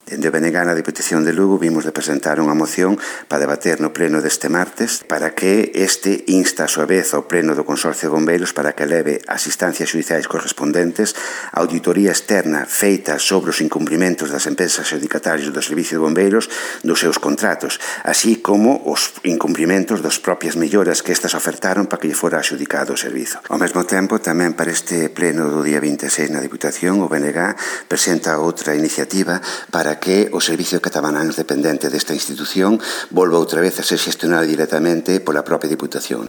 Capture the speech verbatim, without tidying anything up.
Dende o B N G na Diputación de Lugo vimos de presentar unha moción para debater no pleno deste martes para que este insta a súa vez ao pleno do Consorcio de Bombeiros para que leve as instancias xudiciais correspondentes a auditoría externa feita sobre os incumprimentos das empresas adjudicatarias do Servicio de Bombeiros dos seus contratos, así como os incumprimentos das propias melloras que estas ofertaron para que lle fora adjudicado o servizo. Ao mesmo tempo, tamén para este pleno do día vinte e seis na Diputación, o B N G presenta outra iniciativa para que o Servicio Catalán dependente desta institución volva outra vez a ser xestionado directamente pola propia Diputación.